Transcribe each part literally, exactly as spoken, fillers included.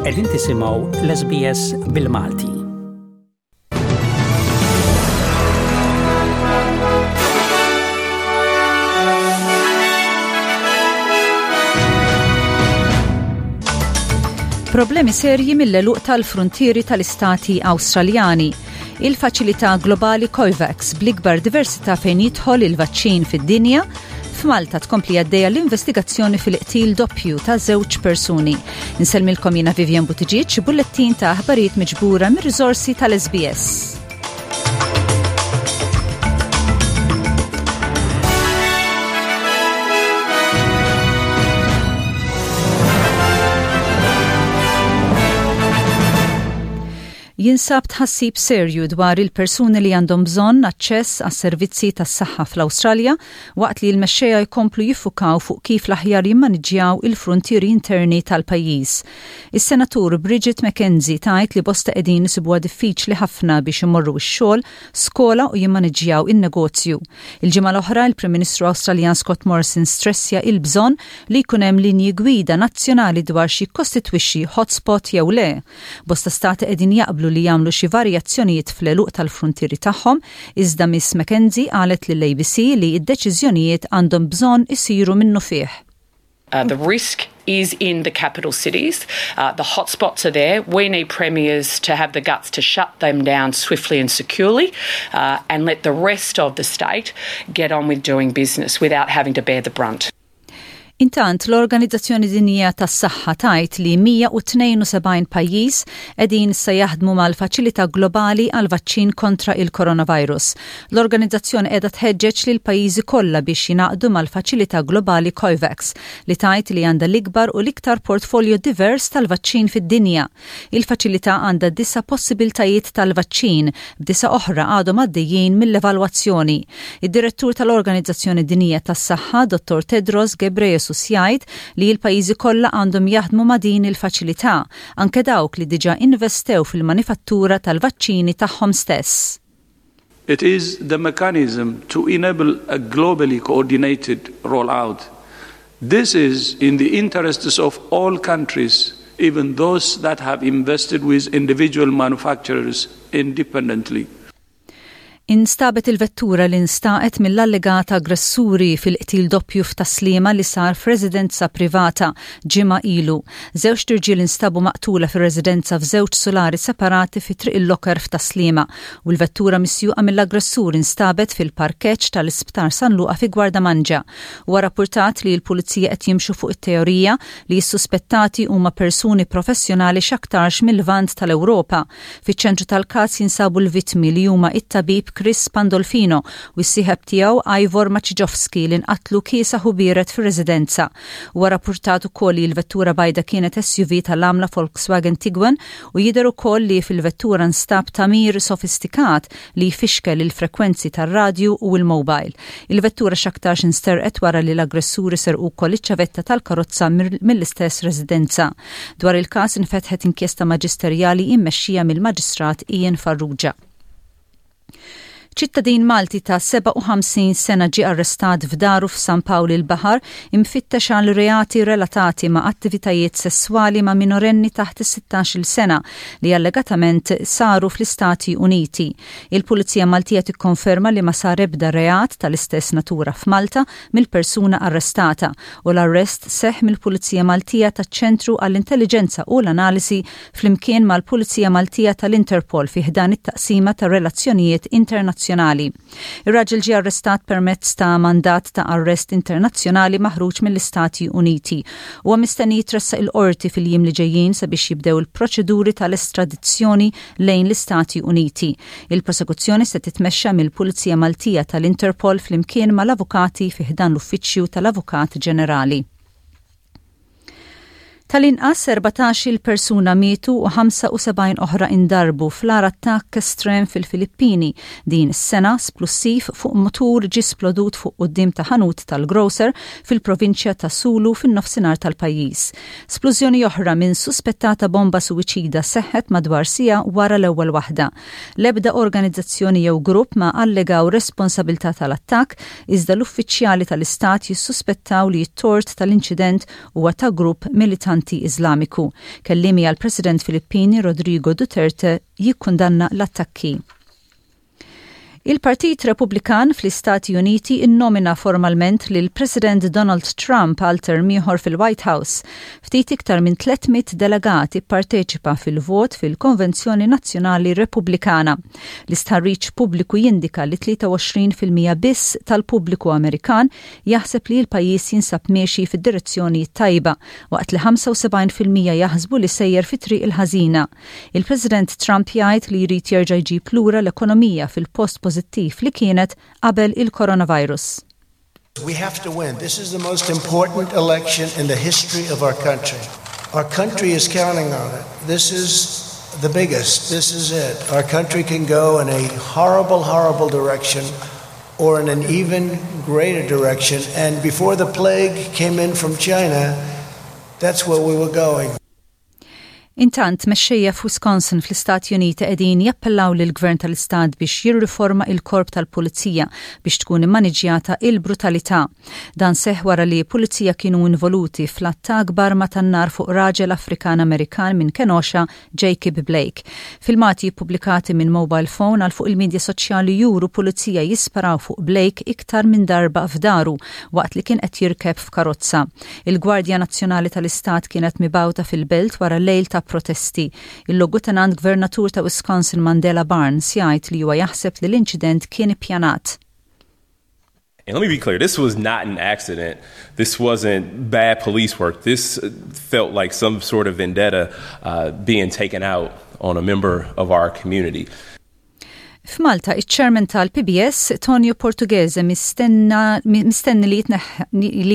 Qegħdin tisimgħu l-S B S bil-Malti. Problemi serji mill-għeluq tal-frontieri tal-istati Awstraljani. Il-faċilità globali COVAX bl-ikbar diversità fejn jidħol il-vaċċin fid-dinja. F'Malta tkompli għaddejja l-investigazzjoni fil-qtil doppju ta' żewġ persuni. Insellmilkom jiena Vivian Buttigieg, bullettin ta' aħbarijiet miġbura mir-riżorsi tal-S B S. Jinsab tħassib serju dwar il-persuni li għandhom bżonn aċċess għas servizzi tas-saħħa fl-Awstralja waqt li l-mexxejja jkomplu jiffukaw fuq kif l-aħjar jimmaniġġjaw il-frontieri interni tal-pajjiż. Is-senatur Bridget McKenzie tgħid li bosta qegħdin isibuha diffiċli ħafna biex imorru x-xogħol, skola u jimmaniġġjaw in-negozju. Il-ġimgħa l-oħra, il-Prim Ministru Awstraljan Scott Morrison stressja il-bżonn li jkun hemm linji gwida nazzjonali dwar xi jikkostitwixxi hotspot jew le. Bosta stati qegħdin jaqblu li jagħmlu xi varjazzjonijiet fl-għeluq tal-frontieri tagħhom, iżda Miss McKenzie qalet lill-A B C li d-deċiżjonijiet għandhom bżonn isiru minnufih. Uh, the risk is in the capital cities. Uh, the hotspots are there. We need premiers to have the guts to shut them down swiftly and securely uh, and let the rest of the state get on with doing business without having to bear the brunt. Intant, l-Organizzazzjoni Dinjija tas-Saħħa tgħid li mija u tnejn u sebgħin pajjiż qegħdin se jaħdmu mal-faċilità globali għal vaċċin kontra il-coronavirus. L-organizzazzjoni qiegħda tħeġġeġ lil pajjiżi kollha biex jingħaqdu mal-faċilità globali COVAX li tgħid li għandha l-ikbar u l-iktar portfolio divers tal-vaċċin fid-dinja. Il-faċilità għandha disa' possibiltajiet tal-vaċċin, b'disa' oħra għadhom għaddejjin mill-evalwazzjoni. Id-direttur tal-Organizzazzjoni Dinjija tas-Saħħa, Dottor Tedros Ghebreyesus, jgħid li l-pajjiżi kollha għandhom jaħdmu ma' din il-faċilità, anke dawk li diġà investew fil-manifattura tal-vaċċini tagħhom stess. It is the mechanism to enable a globally coordinated rollout. This is in the interests of all countries, even those that have invested with individual manufacturers independently. Instabet il-vettura li instaqet mill-allegata aggressuri fil-qtil doppju f'Tas-Sliema li sar f'residenza privata ġimgħa ilu. Żewġ irġiel instabu maqtula fir-residenza f'żewġ sulari separati fi Triq il-Locker f'Tas-Sliema u l-vettura misjuqa mill-aggressur instabet fil-parkeġġ tal-Isptar San Luqa fi Gwardamanġa. Huwa rapportat li l-pulizija qed jimxu fuq it-teorija li s-suspettati huma persuni professjonali x'aktarx mill-Lvant tal-Ewropa. Fiċ-ċentru tal-każ jinsabu l-vittmi li huma it-tabib Chris Pandolfino u s-sieħeb tiegħu Ivor Maciejowski li nqatlu kiesaħ u biered fir-residenza. Huwa rapportat ukoll li l-vettura bajda kienet S U V tal-għamla Volkswagen Tiguan u jidher ukoll li fil-vettura nstab tagħmir sofistikat li jfixkel il-frekwenzi tar-radju u l-mobile. Il-vettura x'aktarx insterqet wara li l-aggressuri serqu wkoll iċ-ċavetta tal-karozza mill-istess residenza. Dwar il-każ infetħet inkjesta maġisterjali immexxija mill-Maġistrat Ian Farrugia. Ċittadin Malti ta' sebgħa u ħamsin sena ġie arrestat f'daru f'San Pawl il-Baħar, imfittex għal reati relatati ma' attivitajiet sessuali ma' minorenni taħt is-sittax-il sena li allegatament saru fl-Istati Uniti. Il-Pulizija Maltija tikkonferma li ma sar ebda reat tal-istess natura f'Malta mill-persuna arrestata u l-arrest seħ mill-Pulizija Maltija taċ-Ċentru għall-Intelligenza u l-Analisi flimkien mal-Pulizija Maltija tal-Interpol fi ħdan it-taqsima ta' relazzjonijiet internazzjonali internazzjonali. Ir-raġel ġie arrestat permezz ta' mandat ta' arrest internazzjonali maħruġ mill-Istati Uniti u mistenni jitressaq il-qorti fil-jiem li ġejjin sabiex jibdew il-proċeduri tal-estradizzjoni lejn l-Istati Uniti. Il-prosekuzzjoni se titmexxa mill-Pulizija Maltija tal-Interpol flimkien mal-avukati fi ħdan l-Uffiċċju tal-Avukat Ġenerali. Tal-inqas erbatax-il persuna mietu u ħamsa u sebgħin oħra indarbu fl-agħar attakk estrem fil-Filippini din is-sena. Splussiv fuq motur ġi splodut fuq quddiem ta' ħanut tal-grocer fil-provinċja ta' Sulu fin-nofsinhar tal-pajjiż. Splużjoni oħra minn suspettata bomba suwiċida seħħet madwar siegħa wara l-ewwel waħda. L-ebda organizzazzjoni jew grupp ma allegaw responsabilità tal-attakk, iżda l-uffiċjali tal-istat jissuspettaw li t-tort tal-inċident huwa ta' grupp militanti. militanti Iżlamiku. Kelliemi għall-President Filippini Rodrigo Duterte jikkundanna l-attakki. Il-Partit Repubblikan fl-Istati Uniti innomina formalment lil President Donald Trump għal term ieħor fil-White House. Ftit iktar minn tliet mitt delegati parteċipa fil-vot fil-Konvenzjoni Nazzjonali Repubblikana. L-istħarriġ pubbliku jindika li tlieta u għoxrin fil-mija biss tal-pubbliku Amerikan jaħseb li l-pajjiż jinsab miexi fid-direzzjoni tajba, waqt li ħamsa u sebgħin fil-mija jaħsbu li sejjer fit-triq il-ħażina. Il-President Trump jgħid li jrid jerġa' jġib lura l-ekonomija fil-post pożittiv li kienet qabel il-coronavirus. We have to win. This is the most important election in the history of our country. Our country is counting on it. This is the biggest. This is it. Our country can go in a horrible, horrible direction or in an even greater direction. And before the plague came in from China, that's where we were going. Intant, mexxejja f'Wisconsin fl-Istati Uniti qegħdin jappellaw lil gvern tal-Istat biex jirriforma il-korp tal-pulizija biex tkun immaniġjata il-brutalità. Dan seħ wara li pulizija kienu involuti fl-attak b'arma tan-nar fuq raġel Afrikan Amerikan minn Kenosha, Jacob Blake. Filmati pubblikati minn mobile phone għal fuq il-medja soċjali juru pulizija jisparaw fuq Blake iktar minn darba f'daru waqt li kien qed jirkeb f'karozza. Il-Gwardja Nazzjonali tal-Istat kienet mibgħuta fil-belt wara lejl ta' protesti. Il-Logutenant Gvernatur ta' Wisconsin Mandela Barnes jgħid li huwa jaħseb li l-inċident kien ippjanat. And let me be clear, this was not an accident. This wasn't bad police work. This felt like some sort of vendetta uh, being taken out on a member of our community. F'Malta, iċ-chairman tal-P B S, Tonio Portughese, mistenni li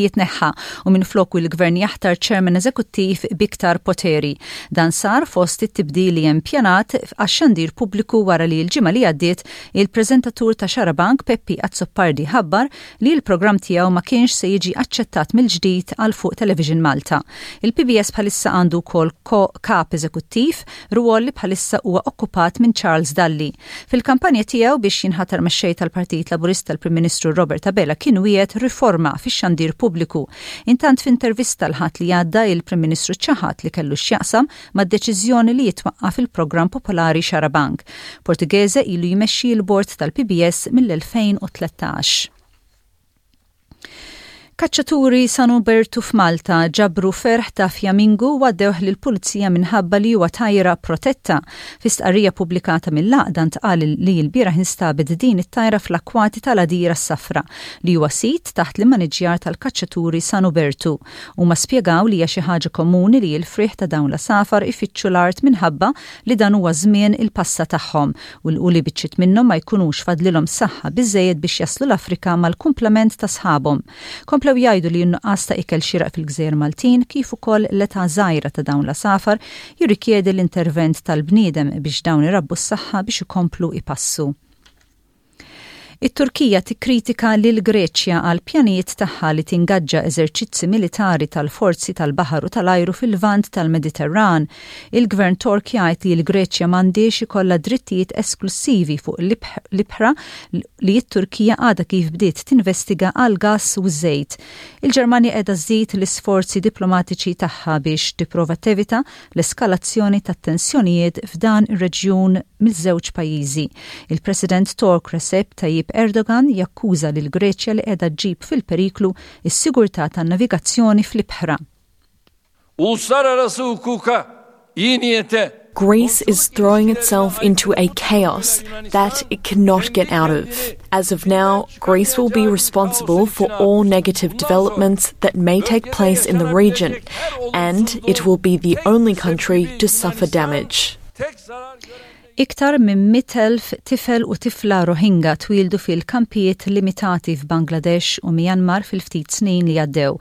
jitneħħa u minn floku l-gvern jaħtar chairman eżekuttiv b'iktar poteri. Dan sar fost it-tibdil li hemm pjanat għax-xandir pubbliku wara li l-ġimgħa li għaddiet il-preżentatur ta' Xarabank Peppi Azzopardi ħabbar li l-programm tiegħu ma kienx se jiġi aċċettat mill-ġdid għal fuq Television Malta. Il-P B S bħalissa għandu wkoll kap eżekuttiv, rwol li bħalissa huwa okkupat minn Charles Dalli. Fil-kampanja tiegħu biex jinħatar mexxej tal-Partit Laburista, l-Prim Ministru Robert Abela kien wiegħed riforma fix-xandir pubbliku. Intant, f'intervista l-Ħadd li għadda, il-Prim Ministru ċaħad li kellu x'jaqsam mad-deċiżjoni li jitwaqqaf il-programm popolari Xarabank. Portughese ilu jmexxi l-bord tal-P B S mill-elfejn u tlettax. Kaċċaturi San Ubertu f'Malta ġabru ferħ ta' fjamingu u għaddewh lill-pulizija minħabba li huwa tajra protetta. Fi stqarrija pubblikata mill-għaqda ntqal li l-bieraħ instabet din it-tajra fl-akwati tal-Għadira s-Safra, li huwa sit taħt l-immaniġjar tal-kaċċaturi San Ubertu. Huma spjegaw li hija xi ħaġa komuni li l-friħ ta' dawn l-għasafar ifittxu l-art minħabba li dan huwa żmien il-passa tagħhom u li biċċiet minnhom ma jkunux fadlilhom saħħa biżejjed biex jaslu l-Afrika mal-kumplament ta' sħabhom. Komplew jgħidu li n-nuqqas ta' ikel xieraq fil-gżejjer Maltin kif ukoll l-età żgħira ta' dawn l-għasafar jirrikjedi l-intervent tal-bniedem biex dawn irabbu s-saħħa biex ikomplu ipassu. It-Turkija tikkritika lil Greċja għal pjanijiet tagħha li tingaġġa eżerċizzi militari tal-forzi tal-baħar u tal-ajru fil-vant tal-Mediterran. Il-Gvern Tork jgħid li l-Greċja m'għandix ikollha drittijiet esklusivi fuq l-ibħra li t-Turkija għadha kif bdiet tinvestiga għal gas u żejt. Il-Ġermanja qiegħda żżid l-isforzi diplomatiċi tagħha biex tipprova tevita l-eskalazzjoni tat-tensjonijiet f'dan ir-reġjun miż-żewġ pajjiżi. Il-President Tork Recep Tayyip Erdogan jakkuża lil Greċja li qiegħda ġġib fil-periklu is-sigurtà tan-navigazzjoni fl-ibħra. Uluslararası hukuka, iyi niyete, Greece is throwing itself into a chaos that it cannot get out of. As of now, Greece will be responsible for all negative developments that may take place in the region, and it will be the only country to suffer damage. Tek zarar gören Iktar minn mitt elf tifel u tifla Rohingya twildu fil-kampijiet limitati f'Bangladesh u Myanmar fil-ftit snin li għaddew.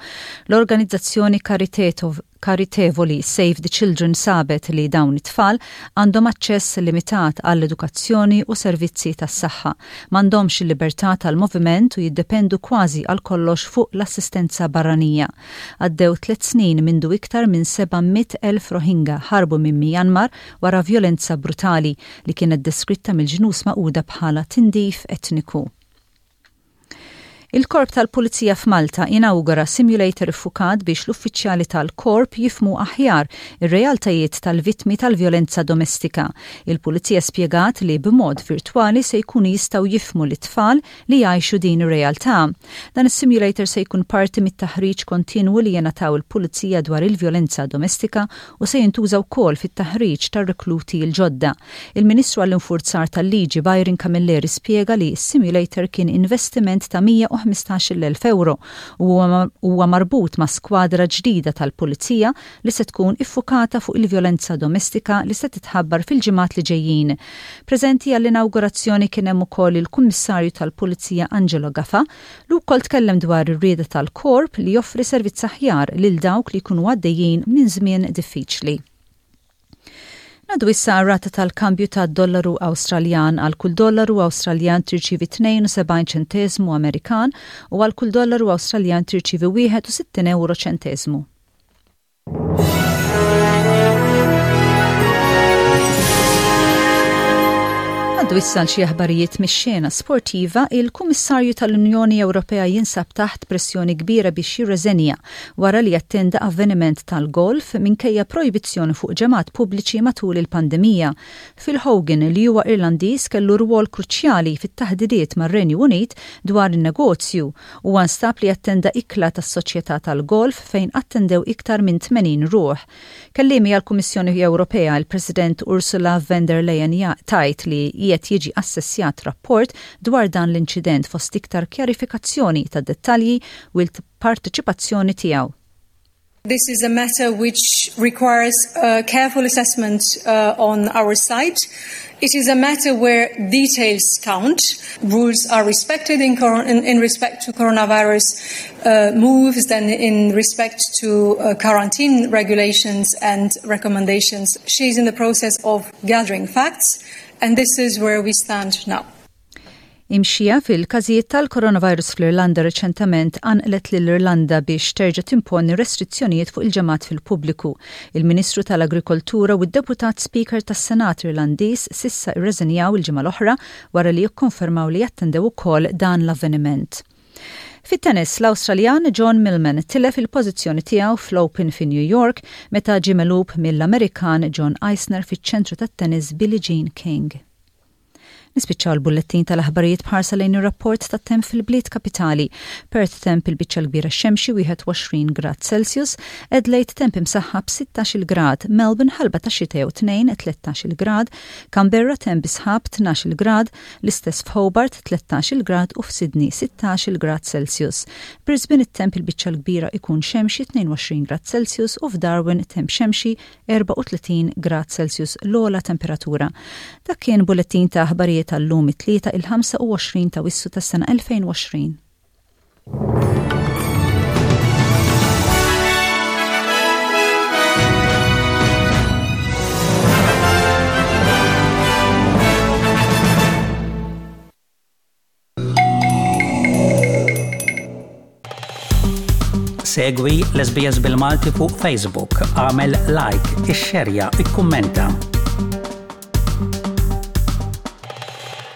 L-organizzazzjoni karitevoli Save the Children sabet li dawn it-tfal għandhom aċċess limitat għall-edukazzjoni u servizzi tas-saħħa. M'għandhomx il-libertà tal-moviment u jiddependu kważi għal kollox fuq l-assistenza barranija. Għaddew tliet snin mindu iktar minn seba' mitt elf Rohingya ħarbu minn Myanmar wara violenza brutali li kienet deskritta mill-Ġnus Magħquda bħala tindif etniku. Il-Korp tal-Pulizija f'Malta inawgura simulator iffukat biex l-uffiċjali tal-korp jifhmu aħjar ir-realtajiet tal-vittmi tal-vjolenza domestika. Il-Pulizija spjegat li b'mod virtwali se jkunu jistgħu jifhmu l-tfal li jgħixu din ir-realtà. Dan is-simulator se jkun parti mit-taħriġ kontinwu li jingħataw il-Pulizija dwar il-vjolenza domestika u se jintuża wkoll fit-taħriġ tar-rekluti l-ġodda. Il-Ministru għall-Infurzar tal-Liġi Byron Camilleri spjega li s-simulator kien investiment ta' mija u ħmistax-il elf euro u huwa marbut ma' skwadra ġdida tal-Pulizija li se tkun iffukata fuq il-vjolenza domestika li se titħabbar fil-ġimgħat li ġejjin. Preżenti għall-inawgurazzjoni kien hemm ukoll il-Kummissarju tal-Pulizija Angelo Gafa li wkoll tkellem dwar ir-rieda tal-korp li joffri servizz aħjar lil dawk li jkunu għaddejjin minn żmien diffiċli. Ngħaddu issa rata tal-kambju ta' dollaru Awstraljan. Għal kull dollaru Awstraljan tirċivi tnejn u sebgħin ċentesmu Amerikan u għal kull dollaru Awstraljan tirċivi wieħed u sittin euro ċentesmu. Ngħaddu issa xi aħbarijiet mix-xena sportiva. Il-Kummissarju tal-Unjoni Ewropea jinsab taħt pressjoni kbira biex jirreżenja wara li attenda avveniment tal-golf minkejja projbizzjoni fuq ġemgħat pubbliċi matul il-pandemija. Phil Hogan, li huwa Irlandiż, kellu rwol kruċjali fit-taħdidiet mar-Renju Unit dwar in-negozju u nstab li attenda ikla tas-soċjetà tal-golf fejn attendew iktar minn tmenin ruħ. Kelliemi għall-Kummissjoni Ewropea, il-President Ursula von der Leyen, tgħid li qiegħed jiġi assessjat rapport dwar dan l-inċident fost iktar kjarifikazzjoni ta' dettalji u l-parteċipazzjoni tiegħu. This is a matter which requires a careful assessment uh, on our side. It is a matter where details count. Rules are respected in, in, in respect to coronavirus uh, moves and in respect to uh, quarantine regulations and recommendations. She is in the process of gathering facts, and this is where we stand now. Imxija fil-każijiet tal-coronavirus fl-Irlanda reċentament qanqlet lill-Irlanda biex terġa' timponi restrizzjonijiet fuq il-ġemgħat fil-pubbliku. Il-Ministru tal-Agrikoltura u d-Deputat Speaker tas-Senat Irlandiż s'issa irreżenjaw il-ġimgħa l-oħra wara li jikkonfermaw li jattendew ukoll dan l-avveniment. Fit-tennis, l-Awstraljan John Millman tilef il-pożizzjoni tiegħu fl-Open fi New York meta ġie megħlub mill-Amerikan John Isner fiċ-ċentru tat-tennis Billie Jean King. Nispiċċaw l-bullettin tal-aħbarijiet b'ħarsa lejn ir-rapport tat-temp fil-bliet kapitali. Perth, temp il-biċċa l-kbira xemxi, wieħed u għoxrin grad Celsius, Adelaide temp imsaħħab, sittax-il grad, Melbourne ħalba ta' xita jew tnejn, tlettax-il grad, Canberra temp sħab, tnax-il grad, l-istess f'Hobart, tlettax-il grad u f'Sydney sittax-il grad Celsius. Brisbane it-temp il-biċċa l-kbira ikun xemxi, tnejn u għoxrin grad Celsius u f'Darwin temp xemxi, erbgħa u tletin grad Celsius l-ogħla temperatura. Dak kien bullettin ta' aħbarijiet tal-lum, it-Tlieta, il-ħamsa u għoxrin ta' Awwissu tas-sena elfejn u għoxrin. Segwi l-S B S bil-Malti fuq Facebook, agħmel like, ixxerja, ikkummenta.